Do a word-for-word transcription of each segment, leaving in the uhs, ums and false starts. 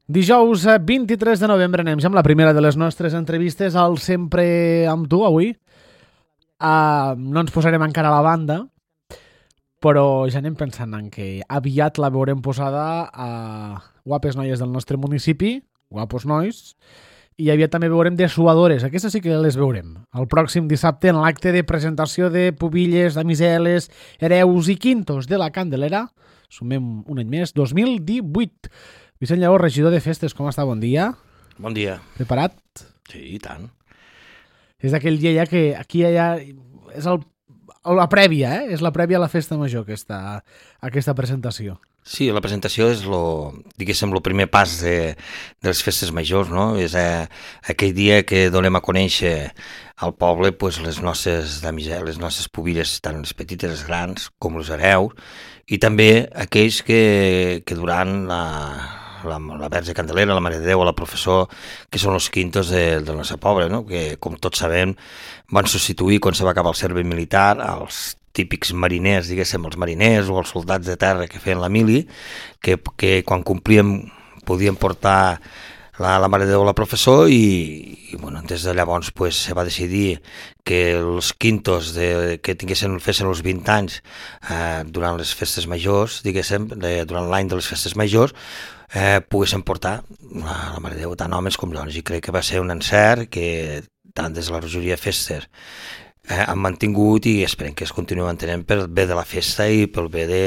Dijous vint-i-tres de novembre anem ja amb la primera de les nostres entrevistes al Sempre amb tu avui. Uh, no ens posarem encara a la banda, però ja anem pensant en que aviat la veurem posada a guapes noies del nostre municipi, guapos nois, i aviat també veurem dessuadores. Aquestes sí que les veurem el pròxim dissabte en l'acte de presentació de pubilles, damiseles, hereus i quintos de la Candelera. Sumem un any més, dos mil divuit. Vicent Lleó, regidor de festes, com està? Bon dia. Bon dia. Preparat? Sí, i tant. És d'aquell dia ja que aquí ja és el, la prèvia, eh? És la prèvia a la festa major, aquesta, aquesta presentació. Sí, la presentació és lo, diguéssim, el primer pas de, de les festes majors, no? És eh, aquell dia que donem a conèixer al poble pues, les nostres damiseles, les nostres pubilles, tant les petites, les grans, com els hereus, i també aquells que, que durant la, la, la Verge Candelera, la Mare de Déu, la Professor, que són els quintos de, del nostre poble, no? Que, com tots sabem, van substituir, quan se va acabar el servei militar, els típics mariners, diguéssim, els mariners o els soldats de terra que feien la mili, que, que quan complíem podien portar la, la Mare de Déu a la Professor i, i bueno, des de llavors pues, se va decidir que els quintos de, que tinguessin, fessin els vint anys eh, durant les festes majors, diguéssim, de, durant l'any de les festes majors, eh, poguessin portar la, la Mare de Déu, tant homes com dones, i crec que va ser un encert que tant des de la regidoria de festes Eh, han mantingut i esperem que es continuï mantenint pel bé de la festa i pel bé de,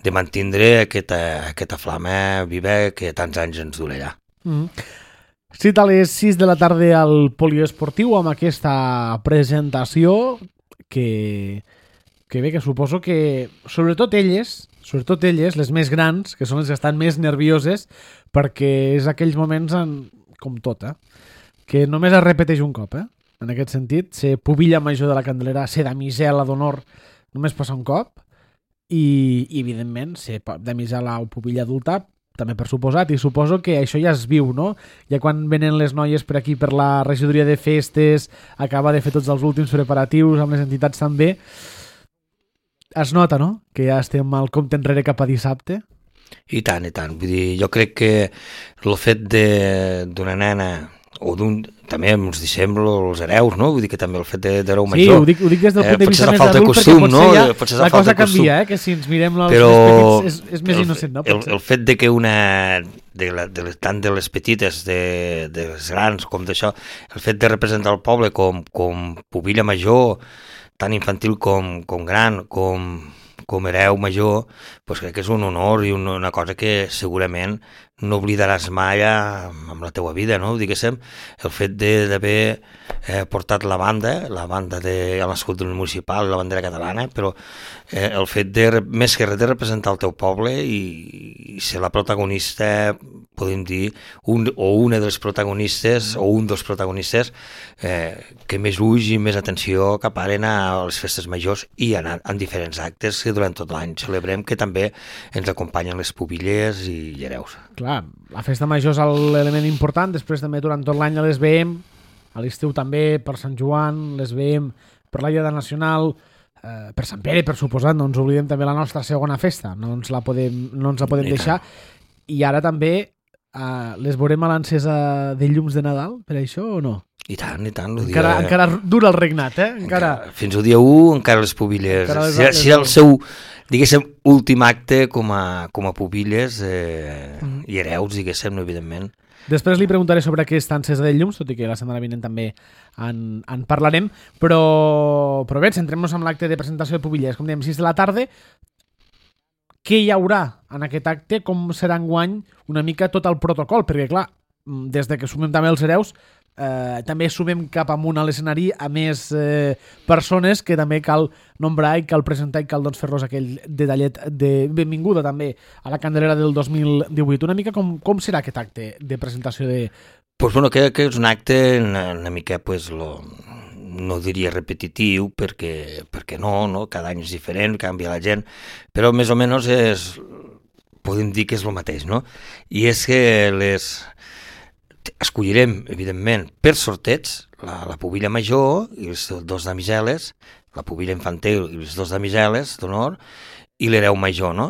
de mantindre aquesta, aquesta flama viva que tants anys ens durarà. Mm. Cita a les sis de la tarda al poliesportiu amb aquesta presentació que, que bé, que suposo que sobretot elles, sobretot elles, les més grans, que són les que estan més nervioses, perquè és aquells moments en, com tot, eh? Que només es repeteix un cop, eh? En aquest sentit, ser pubilla major de la Candelera, ser damisela d'honor, només passa un cop, i, i evidentment, ser damisela o pubilla adulta, també per suposat, i suposo que això ja es viu, no? Ja quan venen les noies per aquí, per la regidoria de festes, acaba de fer tots els últims preparatius, amb les entitats també, es nota, no?, que ja estem al compte enrere cap a dissabte. I tant, i tant. Vull dir, jo crec que el fet d'una nena o d'un, també ens deixem els hereus, no? Vull dir que també el fet d'hereu major... Sí, ho dic, ho dic des del punt de vista eh, més adult, costum, perquè potser no? ja potser la cosa canvia, eh? Que si ens mirem els Però més petits és, és més el, innocent, no? El, el fet de que una, de la, de les, tant de les petites, de, de les grans, com d'això, el fet de representar el poble com, com pubilla major, tant infantil com, com gran, com, com hereu major, doncs crec que és un honor i una, una cosa que segurament no oblidaràs mai amb la teua vida, no? Diguéssim, el fet d'haver eh, portat la banda, la banda de l'escut municipal i la bandera catalana, però eh, el fet de, més que res, de representar el teu poble i, i ser la protagonista, podem dir, un, o una dels protagonistes, o un dels protagonistes eh, que més ulls i més atenció caparen a les festes majors i en, en diferents actes que durant tot l'any celebrem, que també ens acompanyen les pubilles i hereus. Clar, la festa major és l'element important, després també durant tot l'any les veiem, a l'estiu també, per Sant Joan, les veiem per la Diada Nacional, eh, per Sant Pere, per suposat, no ens oblidem també la nostra segona festa, no ens la podem, no ens la podem deixar, i ara també eh, les veurem a l'encesa de llums de Nadal, per això o no? I tant, i tant. Encara, dia... encara dura el regnat, eh? Encara... encara, fins al dia u, encara les pubilles. Encara les, si, les... si el seu, diguéssim, últim acte com a, com a pubilles eh, mm. i hereus, diguéssim, no, evidentment. Després li preguntaré sobre aquesta encesa de llums, tot i que la setmana vinent també en, en parlarem, però, però bé, centrem-nos en l'acte de presentació de pubilles. Com dèiem, sis de la tarda, què hi haurà en aquest acte? Com serà enguany una mica tot el protocol? Perquè, clar, des de que sumem també els hereus, Eh, també sumem cap amunt a l'escenari a més eh, persones que també cal nombrar i cal presentar i cal doncs, fer-los aquell detallet de benvinguda també a la Candelera del dos mil divuit. Una mica com, com serà aquest acte de presentació de... Pues bueno, que, que és un acte una, una mica, pues, lo, no diria repetitiu, perquè, perquè no, no, cada any és diferent, canvia la gent, però més o menys és, podem dir que és el mateix, no? I és que les... escollirem, evidentment, per sorteig la, la pubilla major i els dos damiseles, la pubilla infantil i els dos damiseles d'honor i l'hereu major, no?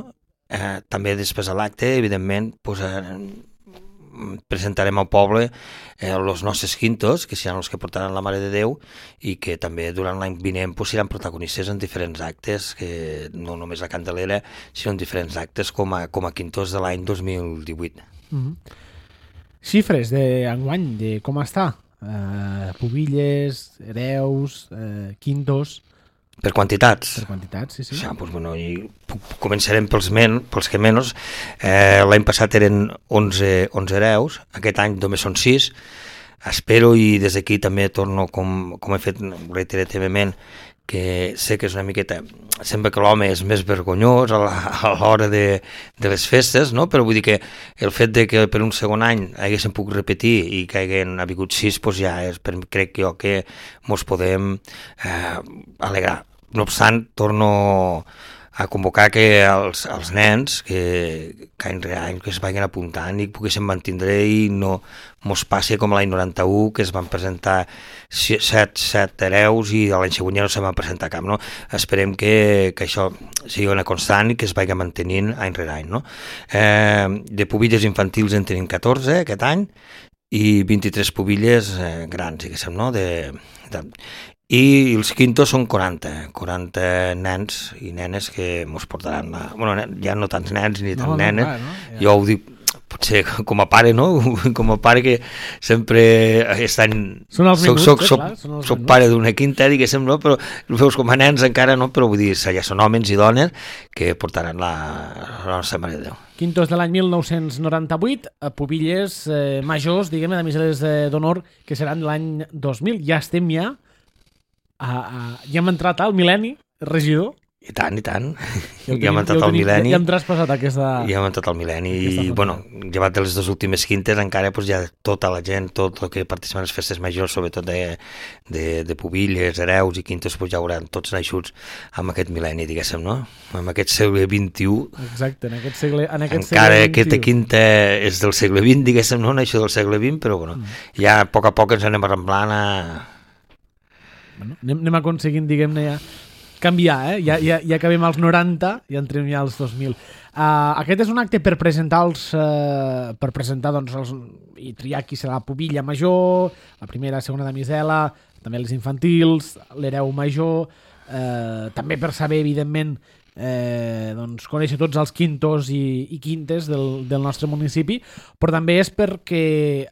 Eh, també després de l'acte, evidentment, pues, eh, presentarem al poble eh, els nostres quintos, que seran els que portaran la Mare de Déu, i que també durant l'any vinent pues, seran protagonistes en diferents actes, que no només a Candelera, sinó en diferents actes com a, com a quintos de l'any dos mil divuit. Mm-hmm. Xifres d'enguany, de com està? Uh, Pubilles, hereus, uh, quintos... Per quantitats? Per quantitats, sí, sí. Ja, doncs, bueno, i començarem pels, men, pels que menys. Eh, L'any passat eren onze, onze hereus, aquest any només són sis. Espero, i des d'aquí també torno, com, com he fet reiterativament, que sé que és una miqueta... Sembla que l'home és més vergonyós a l'hora de, de les festes, no? Però vull dir que el fet de que per un segon any haguéssim pogut repetir i que haguem hagut sis, doncs ja és, per, crec jo que mos podem eh, alegrar. No obstant, torno a convocar que els, els nens que, que any rere any que es vagin apuntant i poguessin mantindre i no mos passi com l'any noranta-u, que es van presentar set, set hereus i l'any següent ja no se van presentar cap, no? Esperem que, que això sigui una constant i que es vagi mantenint any rere any, no? Eh, de pubilles infantils en tenim catorze aquest any i vint-i-tres pubilles eh, grans, diguéssim, no? De, de, i els quintos són quaranta, quaranta nens i nenes que mos portaran la... Bueno, ja no tants nens ni tant no, nenes, no, no, ja. Jo ho dic potser com a pare, no? Com a pare que sempre estan... Són els soc, minuts, soc, eh, soc, clar, són els soc minuts. pare d'una quinta, diguéssim, no? Però veus com a nens encara, no? Però vull dir, ja són homes i dones que portaran la, la nostra Mare de Déu. Quintos de l'any mil nou-cents noranta-vuit, a pubilles eh, majors, diguem, damiseles d'honor, que seran l'any dos mil. Ja estem ja... A, a, ja hem entrat al mil·lenni, regidor. I tant, i tant. Ja, ja hem entrat al mil·lenni. Ja, ja hem traspassat aquesta... Ja hem entrat al mil·lenni i, bueno, llevat de les dues últimes quintes, encara pues, ja tota la gent, tot el que participa en les festes majors, sobretot de, de, de pubilles, hereus i quintes, pues, ja hauran tots naixuts amb aquest mil·lenni, diguéssim, no? Amb aquest segle vint-i-u. Exacte, en aquest segle, en aquest encara segle aquesta quinta és del segle vint, diguéssim, no? Això del segle vint, però, bueno, mm. ja a poc a poc ens anem arramblant a... Bueno, anem, anem aconseguint, diguem-ne, ja canviar, eh? Ja, ja, ja acabem als noranta i entrem ja als dos mil. Uh, aquest és un acte per presentar els, uh, per presentar, doncs, els, i triar qui serà la pubilla major, la primera, segona damisela, també els infantils, l'hereu major, uh, també per saber, evidentment, eh, doncs, conèixer tots els quintos i, i quintes del, del nostre municipi, però també és perquè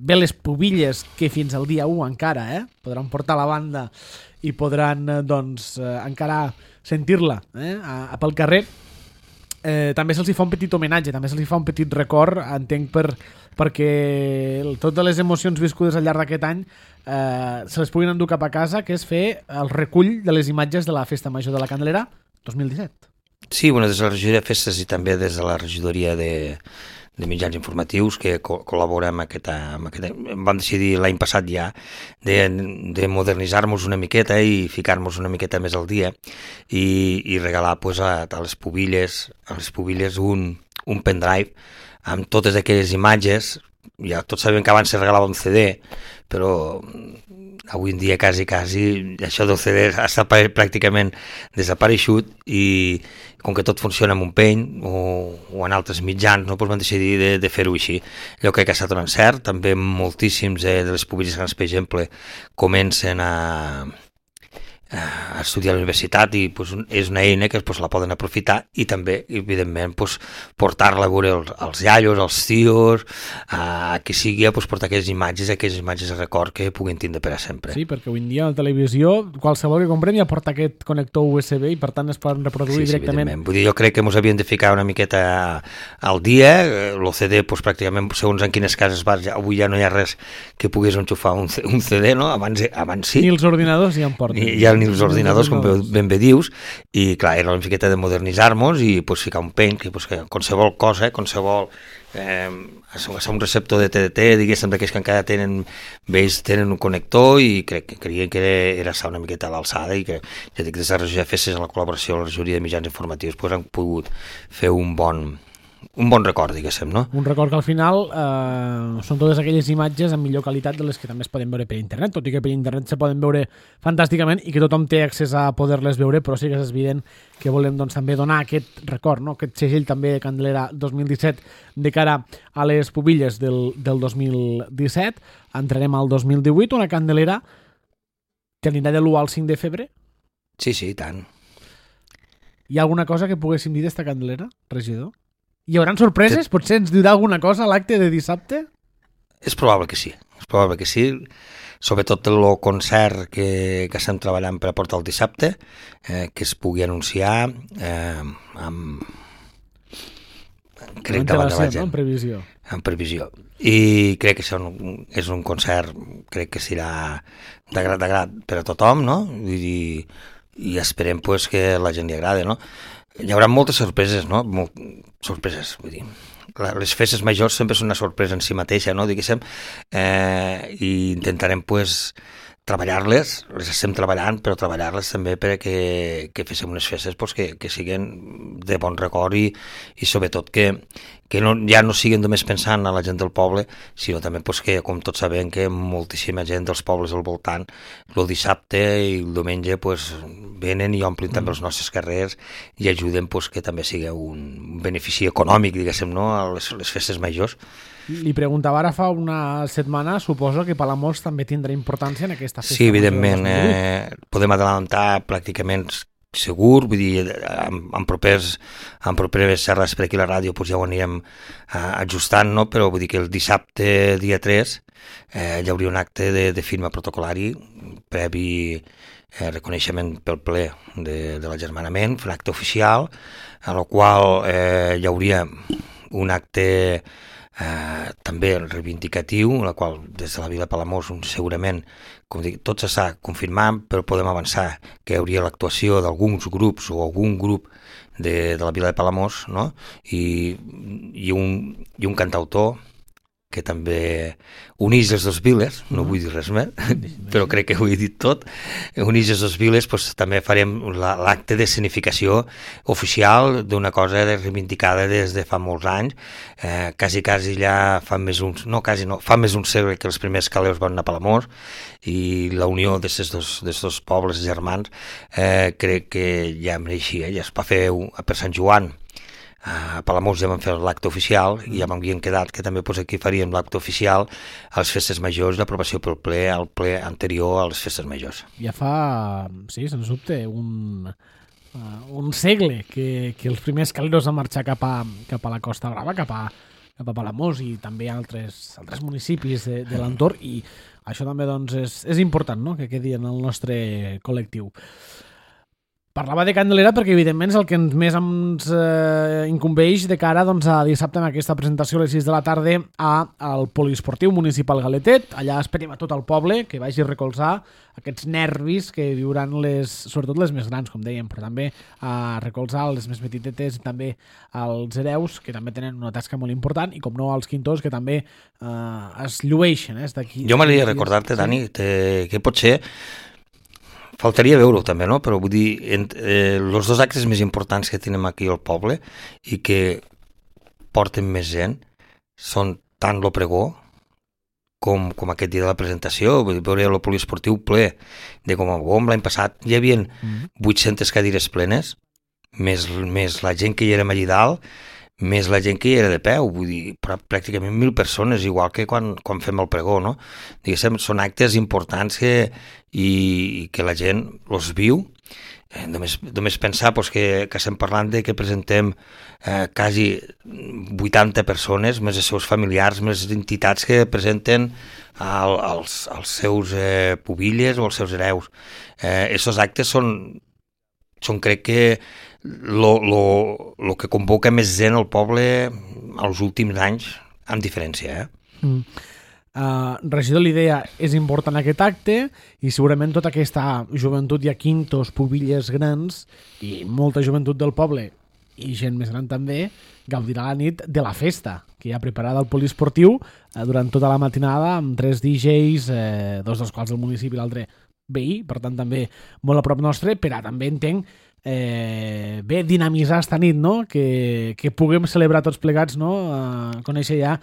bé les pubilles que fins al dia u encara eh, podran portar la banda i podran doncs, eh, encara sentir-la eh, a, a pel carrer. Eh, també se'ls fa un petit homenatge, també se'ls fa un petit record, entenc, per, perquè totes les emocions viscudes al llarg d'aquest any eh, se les puguin endur cap a casa, que és fer el recull de les imatges de la Festa Major de la Candelera dos mil disset. Sí, bueno, des de la regidoria de festes i també des de la regidoria de de mitjans informatius que co col·laborem amb aquesta, amb aquesta... Vam decidir l'any passat ja de, de modernitzar-nos una miqueta i ficar-nos una miqueta més al dia i, i regalar pues, a, a les pubilles, a les pubilles un, un pendrive amb totes aquelles imatges. Ja tots sabem que abans se regalava un C D, però avui en dia quasi, quasi això del C D està pràcticament desapareixut i com que tot funciona amb un peny o, o en altres mitjans, no, doncs van decidir de, de fer-ho així. Allò crec que ha estat un encert, també moltíssims eh, de les pubilles grans, per exemple, comencen a, a estudiar a la universitat i pues, és una eina que pues, la poden aprofitar i també, evidentment, pues, portar-la a veure els, els iaios, els tios, a qui sigui, pues, portar aquelles imatges, aquelles imatges de record que puguin tindre per a sempre. Sí, perquè avui en dia a la televisió qualsevol que comprem ja porta aquest connector U S B i per tant es poden reproduir sí, directament. Sí, vull dir, jo crec que ens havíem de ficar una miqueta al dia, el C D, pues, pràcticament, segons en quines cases vas, ja, avui ja no hi ha res que pogués enxufar un, un C D, no? Abans, abans sí. Ni els ordinadors ja en porten. Ni, ja ni els ordinadors, com ben bé dius, i clar, era una miqueta de modernitzar-nos i pues, ficar un peny, que, pues, que qualsevol cosa, qualsevol eh, un receptor de T D T, diguéssim, d'aquells que encara tenen, vells tenen un connector i crec que creien que era, era estar una miqueta a l'alçada i que, ja dic, des de la regió de festes, en la col·laboració amb la regidoria de mitjans informatius, pues, han pogut fer un bon un bon record, diguéssim, no? Un record que al final eh, són totes aquelles imatges amb millor qualitat de les que també es poden veure per internet, tot i que per internet se poden veure fantàsticament i que tothom té accés a poder-les veure, però sí que és evident que volem doncs, també donar aquest record, no? Aquest segell també de Candelera dos mil disset de cara a les pubilles del, del dos mil disset. Entrarem al dos mil divuit, una Candelera que anirà de l'u al cinc de febrer. Sí, sí, i tant. Hi ha alguna cosa que poguéssim dir d'esta Candelera, regidor? Hi haurà sorpreses? Potser ens dirà alguna cosa a l'acte de dissabte? És probable que sí, és probable que sí, sobretot el concert que, que estem treballant per a portar el dissabte, eh, que es pugui anunciar eh, amb... crec davant de la gent. No? En previsió. En previsió. I crec que això és un concert, crec que serà de grat, de grat per a tothom, no? I, i esperem pues, que la gent li agrada, no? Hi haurà moltes sorpreses, no? Molt, sorpreses, vull dir. Les festes majors sempre són una sorpresa en si mateixa, no? Diguéssim, eh, i intentarem, pues, treballar-les, les estem treballant, però treballar-les també perquè que féssim unes festes pues, que, que siguin de bon record i, i sobretot que, que no, ja no siguin només pensant a la gent del poble, sinó també pues, que, com tots sabem, que moltíssima gent dels pobles al voltant el dissabte i el diumenge pues, venen i omplin mm. també els nostres carrers i ajuden pues, que també sigui un benefici econòmic, diguéssim, no? a les, les festes majors. Li preguntava ara fa una setmana, suposo que Palamós també tindrà importància en aquesta festa. Sí, evidentment, eh, podem adelantar pràcticament segur, vull dir, amb, amb, propers, amb properes xerres per aquí a la ràdio pues ja ho anirem eh, ajustant, no? Però vull dir que el dissabte, dia tres, eh, hi hauria un acte de, de firma protocolari previ eh, reconeixement pel ple de, de l'agermanament, un acte oficial, a la qual eh, hi hauria un acte Eh, també reivindicatiu, en la qual des de la Vila de Palamós segurament, com dic, tot s'està confirmant, però podem avançar que hi hauria l'actuació d'alguns grups o algun grup de, de la Vila de Palamós, no? I, i, un, i un cantautor que també uneix les dues viles, no vull dir res més, però crec que ho he dit tot, uneix les dues viles, doncs també farem l'acte d'escenificació oficial d'una cosa reivindicada des de fa molts anys, eh, quasi, quasi ja fa més uns, no, quasi no, fa més un segle que els primers caleus van anar a Palamós, i la unió d'aquests dos, dos pobles germans eh, crec que ja mereixia, ja es va fer per Sant Joan. A Palamós ja vam fer l'acte oficial i ja m'havien quedat que també pues, aquí faríem l'acte oficial a les festes majors, l'aprovació pel ple, al ple anterior a les festes majors. Ja fa, sí, sens dubte, un, uh, un segle que, que els primers caleros van marxar cap a, cap a la Costa Brava, cap a, cap a Palamós i també a altres, altres municipis de, de l'entorn, i això també doncs, és, és important, no?, que quedi en el nostre col·lectiu. Parlava de Candelera perquè, evidentment, és el que més ens eh, incumbeix de cara doncs, a dissabte en aquesta presentació a les sis de la tarda a, al Poliesportiu Municipal Galetet. Allà esperem a tot el poble que vagi a recolzar aquests nervis que viuran les, sobretot les més grans, com dèiem, però també a recolzar les més petitetes i també als hereus, que també tenen una tasca molt important, i com no als quintors, que també eh, es llueixen. Eh, jo m'agradaria recordar-te, Dani, sí. que, que potser faltaria veure-ho també, no? Però vull dir, eh, els dos actes més importants que tenim aquí al poble i que porten més gent són tant lo pregó com, com aquest dia de la presentació. Vull dir, veure el poliesportiu ple de com a bom. L'any passat hi havia vuit-centes cadires plenes, més, més la gent que hi érem allà dalt, més la gent que hi era de peu, vull dir, pràcticament mil persones, igual que quan, quan fem el pregó, no? Diguéssim, són actes importants que, i, i que la gent els viu. Eh, només, només pensar pues, que, que estem parlant de que presentem eh, quasi vuitanta persones, més els seus familiars, més entitats que presenten al, als, als seus eh, pubilles o als seus hereus. Eh, Estos actes són, són crec que Lo, lo, lo que convoca més gent al poble als últims anys, amb diferència. Eh? Mm. Uh, regidor, l'idea és important aquest acte i segurament tota aquesta joventut, hi ha quintos, pubilles grans i molta joventut del poble i gent més gran també gaudirà la nit de la festa que hi ha preparada al poliesportiu uh, durant tota la matinada amb tres D Js, eh, dos dels quals del municipi i l'altre veí, per tant també molt a prop nostre, però també entenc eh, bé, dinamitzar esta nit, no? Que, que puguem celebrar tots plegats, no? Uh, conèixer ja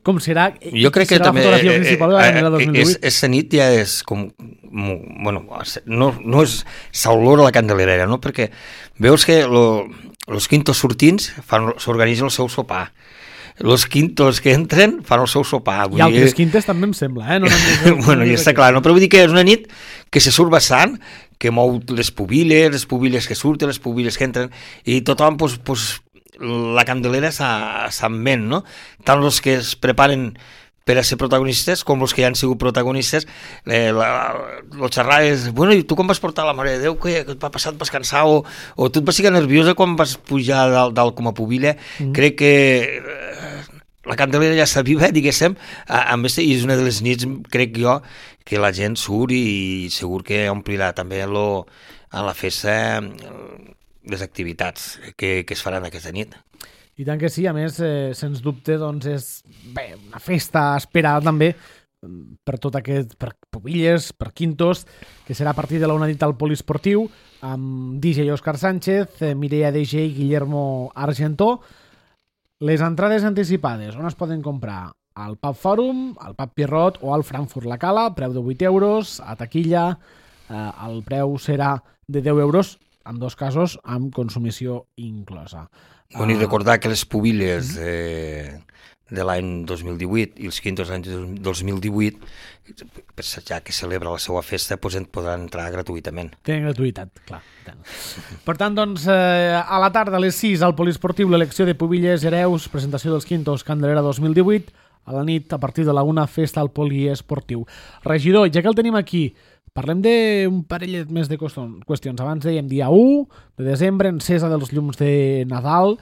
com serà, jo crec que serà també, la fotografia principal de la Candela dos mil divuit. Aquesta nit ja és com, bueno, no, no és s'olora la Candelera, no? Perquè veus que lo, los quintos sortins s'organitzen el seu sopar, los quintos que entren fan el seu sopar. I altres quintes també em sembla, eh? No, no, no, no, bueno, ja està clar, no? Però vull dir que és una nit que se surt bastant, que mou les pubiles, les pubiles que surten, les pubiles que entren, i tothom, pues, pues, la Candelera se'n ven, no? Tant els que es preparen per a ser protagonistes com els que ja han sigut protagonistes. Eh, la, la xerrar és, bueno, i tu com vas portar la Mare de Déu? Què et va passar? Et vas cansar? O, o tu et vas ficar nerviosa quan vas pujar dalt, dalt com a pubilla? Mm. Crec que eh, la Candelera ja està viva, diguéssim, a més, i és una de les nits, crec jo, que la gent surt i segur que omplirà també lo, a la festa les activitats que, que es faran aquesta nit. I tant que sí, a més, eh, sens dubte, doncs és bé, una festa esperada també per tot aquest, per pubilles, per quintos, que serà a partir de la una nit al Poliesportiu, amb D J Òscar Sánchez, eh, Mireia D J i Guillermo Argentó. Les entrades anticipades, on es poden comprar? Al Pub Fòrum, al Pub Pierrot o al Frankfurt La Cala, preu de vuit euros, a taquilla, eh, el preu serà de deu euros, en dos casos amb consumició inclosa. Bueno, i recordar que les pubilles de, de l'any dos mil divuit i els quintos anys de dos mil divuit, ja que celebra la seva festa, doncs en podran entrar gratuïtament. Tenen gratuïtat, clar. Per tant, doncs, eh, a la tarda a les sis al Poliesportiu l'elecció de pubilles hereus, presentació dels quintos Candelera dos mil divuit, a la nit, a partir de la una, festa al Poliesportiu. Regidor, ja que el tenim aquí, parlem d'un parell més de qüestions. Abans dèiem dia u de desembre, encesa dels llums de Nadal.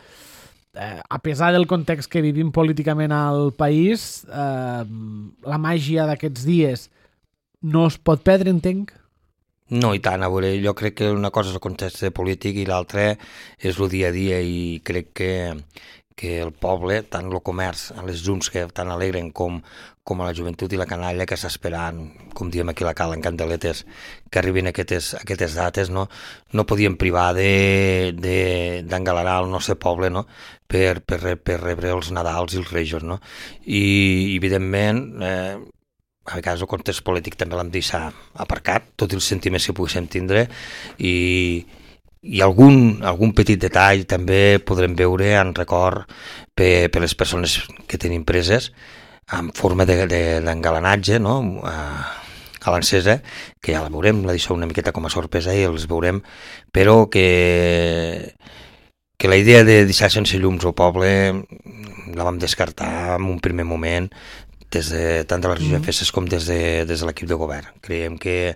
Eh, a pesar del context que vivim políticament al país, eh, la màgia d'aquests dies no es pot perdre, entenc? No, i tant, a veure, jo crec que una cosa és el context polític i l'altra és el dia a dia, i crec que, que el poble, tant el comerç, les llums que tan alegren com, com a la joventut i la canalla que està esperant, com diem aquí a la Cala, en Candeletes, que arribin aquestes, aquestes dates, no, no podíem privar d'engalarar el nostre poble, no? per, per, per rebre els Nadals i els Rejos. No? I, evidentment, eh, a vegades el context polític també l'hem deixat aparcat, tots els sentiments que poguéssim tindre, i i algun, algun petit detall també podrem veure en record per, per les persones que tenim preses en forma d'engalanatge, de, de, no? a, a l'encesa, que ja la veurem, la deixo una miqueta com a sorpresa i els veurem, però que, que la idea de deixar sense llums al poble la vam descartar en un primer moment, des de, tant de la regió de festes com des de, des de l'equip de govern. Creiem que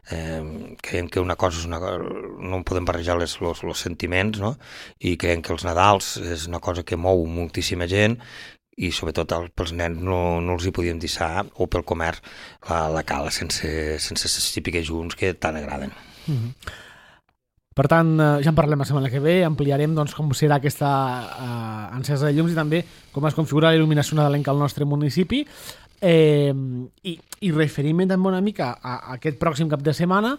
Eh, creiem que una cosa és una cosa, no podem barrejar les, los, los sentiments, no? I creiem que els Nadals és una cosa que mou moltíssima gent i sobretot el, pels nens no, no els hi podíem deixar, o pel comerç, la, la cala sense, sense les típiques junts que tant agraden. Mm-hmm. Per tant, ja en parlem la setmana que ve, ampliarem doncs, com serà aquesta eh, encesa de llums i també com es configura la il·luminació nadalenca al nostre municipi. Eh, i, i referint-me també una mica a, a aquest pròxim cap de setmana,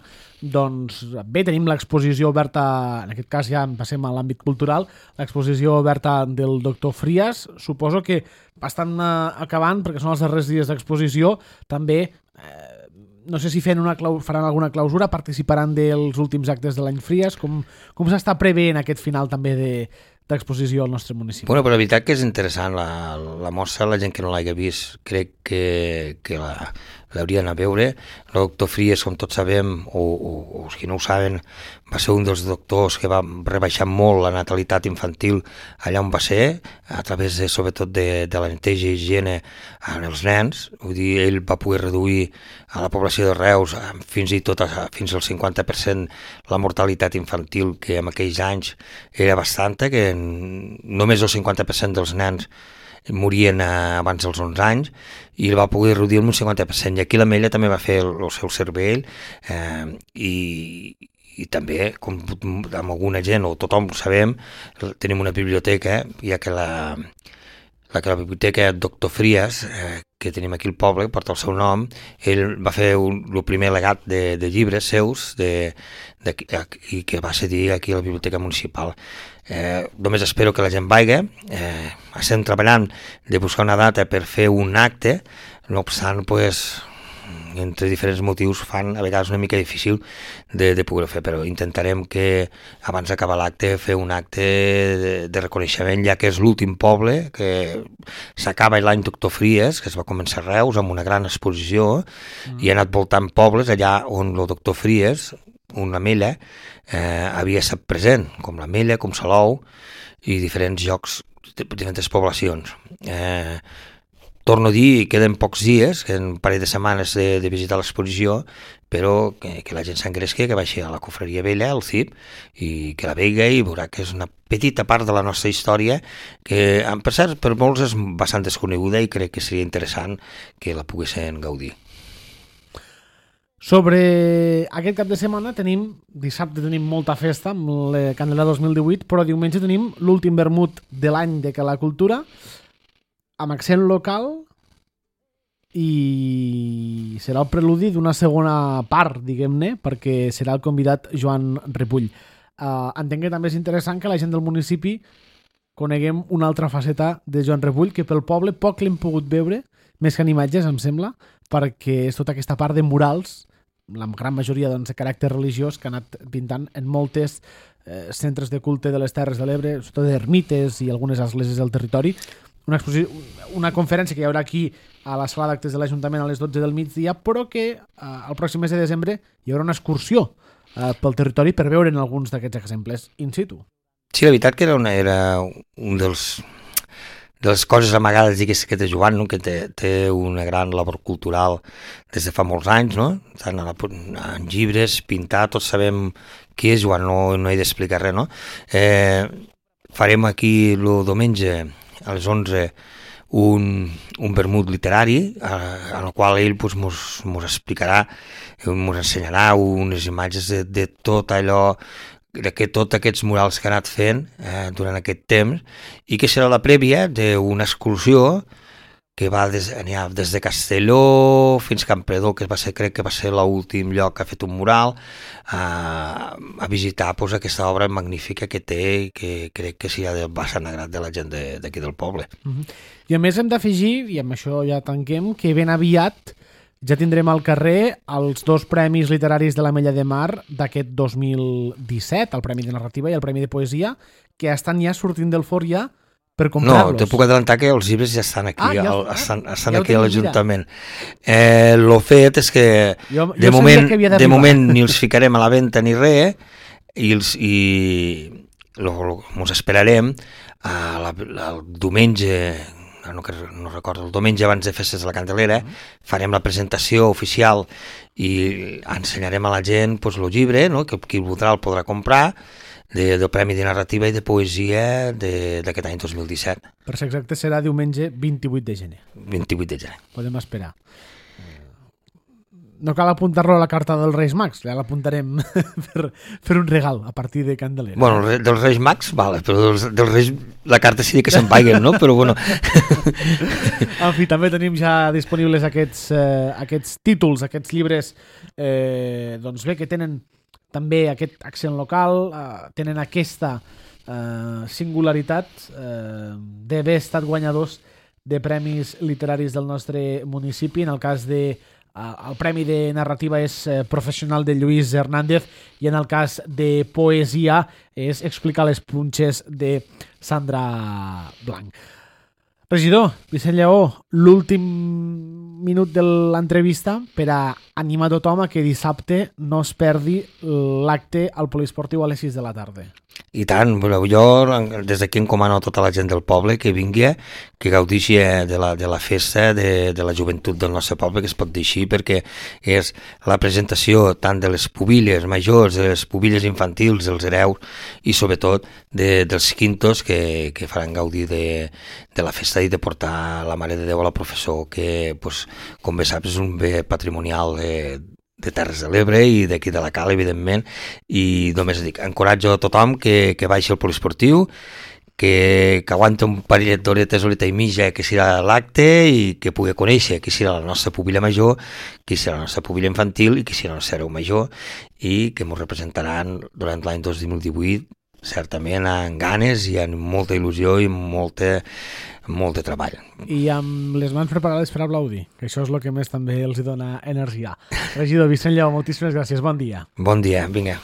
doncs bé, tenim l'exposició oberta, en aquest cas ja passem a l'àmbit cultural, l'exposició oberta del doctor Frias, suposo que bastant eh, acabant, perquè són els darrers dies d'exposició, també eh, no sé si una clau, faran alguna clausura, participaran dels últims actes de l'any Frias, com, com s'està preveient aquest final també de d'exposició al nostre municipi. Bueno, però la veritat que és interessant la, la mostra, la gent que no l'hagi vist crec que, que la, l'hauria d'anar a veure. El doctor Frias, com tots sabem, o, o, o els que no ho saben, va ser un dels doctors que va rebaixar molt la natalitat infantil allà on va ser, a través de, sobretot de, de la neteja i higiene en els nens. Vull dir, ell va poder reduir a la població de Reus fins i tot a, fins al cinquanta per cent la mortalitat infantil, que en aquells anys era bastanta, que només el cinquanta per cent dels nens morien abans dels onze anys, i el va poder reduir un cinquanta per cent. I aquí l'Ametlla també va fer el, el seu cervell, eh, i, i també, com amb alguna gent, o tothom ho sabem, tenim una biblioteca, ja que la, la, la biblioteca Doctor Frias, eh, que tenim aquí al poble, porta el seu nom. Ell va fer un, el primer legat de, de llibres seus de, de, i que va cedir aquí a la biblioteca municipal. Eh, només espero que la gent vagi. Eh, estem treballant de buscar una data per fer un acte, no obstant, pues, entre diferents motius fan a vegades una mica difícil de, de poder fer, però intentarem que abans d'acabar l'acte fer un acte de, de reconeixement, ja que és l'últim poble, que s'acaba l'any Doctor Frias, que es va començar a Reus amb una gran exposició, mm. i ha anat voltant pobles allà on el Doctor Frias, una Mella, eh, havia estat present, com la Mella, com Salou, i diferents llocs, diferents poblacions. Eh, Torno a dir, queden pocs dies, queden un parell de setmanes de, de visitar l'exposició, però que, que la gent s'engresqui, que vagi a la Cofreria Vella, al C I P, i que la vegi i veurà que és una petita part de la nostra història que, per cert, per molts és bastant desconeguda i crec que seria interessant que la poguessin gaudir. Sobre aquest cap de setmana tenim, dissabte tenim molta festa amb la Candelera dos mil divuit, però diumenge tenim l'últim vermut de l'any de Cala Cultura, amb accent local, i serà el preludi d'una segona part, diguem-ne, perquè serà el convidat Joan Ripoll. Uh, entenc que també és interessant que la gent del municipi coneguem una altra faceta de Joan Ripoll, que pel poble poc l'hem pogut veure, més que en imatges, em sembla, perquè és tota aquesta part de murals, la gran majoria doncs, de caràcter religiós, que ha anat pintant en moltes eh, centres de culte de les Terres de l'Ebre, sobretot d'ermites i algunes esglésies del territori. Una, una conferència que hi haurà aquí a la sala d'actes de l'Ajuntament a les dotze del migdia, però que eh, el pròxim mes de desembre hi haurà una excursió eh, pel territori per veure'n alguns d'aquests exemples in situ. Sí, la veritat que era, una, era un dels de les coses amagades, digués, que té Joan, no? Que té, té una gran labor cultural des de fa molts anys, no? Tant a la, en llibres, pintar, tots sabem qui és Joan, no, no he d'explicar res, no? Eh, farem aquí el diumenge a les onze un, un vermut literari eh, en el qual ell pues, mos, mos explicarà, mos ensenyarà unes imatges de, de tot allò, de que tots aquests murals que ha anat fent eh, durant aquest temps, i que serà la prèvia d'una excursió que va des, des de Castelló fins a Campredó, que va ser, crec que va ser l'últim lloc que ha fet un mural, a, a visitar pues, aquesta obra magnífica que té i que crec que s'hi ha de bastant agrat de la gent d'aquí de, del poble. Uh-huh. I a més hem d'afegir, i amb això ja tanquem, que ben aviat ja tindrem al carrer els dos premis literaris de l'Ametlla de Mar d'aquest dos mil disset, el Premi de Narrativa i el Premi de Poesia, que estan ja sortint del forn ja per comprar-los. No, te puc adelantar que els llibres ja estan aquí, ah, ja, al, estan, estan ja aquí a l'Ajuntament. Eh, lo fet és que jo, de, jo moment, de moment ni els ficarem a la venda ni res, i, els, i lo, lo, mos esperarem a la, el diumenge, no, no recordo, el diumenge abans de festes de la Candelera, farem la presentació oficial i ensenyarem a la gent pues, el llibre, no? Que qui el voldrà el podrà comprar, de, del Premi de Narrativa i de Poesia d'aquest any dos mil disset. Per ser exacte, serà diumenge vint-i-vuit de gener. vint-i-vuit de gener. Podem esperar. No cal apuntar-lo a la carta dels Reis Mags, ja l'apuntarem per fer un regal a partir de Candelera. Bueno, dels Reis Mags, vale, però dels, dels Reis la carta sí que se'n paiguen, no? Però bueno. En fi, també tenim ja disponibles aquests, eh, aquests títols, aquests llibres, eh, doncs bé, que tenen també aquest accent local, eh, tenen aquesta eh, singularitat eh, d'haver estat guanyadors de premis literaris del nostre municipi. En el cas de Uh, el Premi de Narrativa és uh, professional de Lluís Hernández i en el cas de Poesia és Explicar les punxes de Sandra Blanc. Regidor, Vicent Lleó, l'últim minut de l'entrevista per a animar tothom a que dissabte no es perdi l'acte al poliesportiu a les sis de la tarda. I tant, jo des d'aquí encomano a tota la gent del poble que vingui, que gaudixi de la, de la festa de, de la joventut del nostre poble, que es pot dir així, perquè és la presentació tant de les pubilles majors, de les pubilles infantils, dels hereus i sobretot de, dels quintos que, que faran gaudir de, de la festa i de portar la Mare de Déu a la professó, que pues, com bé saps és un bé patrimonial de, de Terres de l'Ebre i d'aquí de la Cala, evidentment, i només dic, encoratjo a tothom que, que baixi al poliesportiu, que, que aguanta un parellet d'horetes, horeta i mitja, que serà l'acte, i que pugui conèixer qui serà la nostra púbila major, qui serà la nostra púbila infantil i qui serà la nostra hereu major, i que ens representaran durant l'any dos mil divuit, certament amb ganes i amb molta il·lusió i molta, molt de treball. I amb les mans preparades per aplaudir, que això és el que més també els dona energia. Regidor Vicent Lleó, moltíssimes gràcies, bon dia. Bon dia, vinga.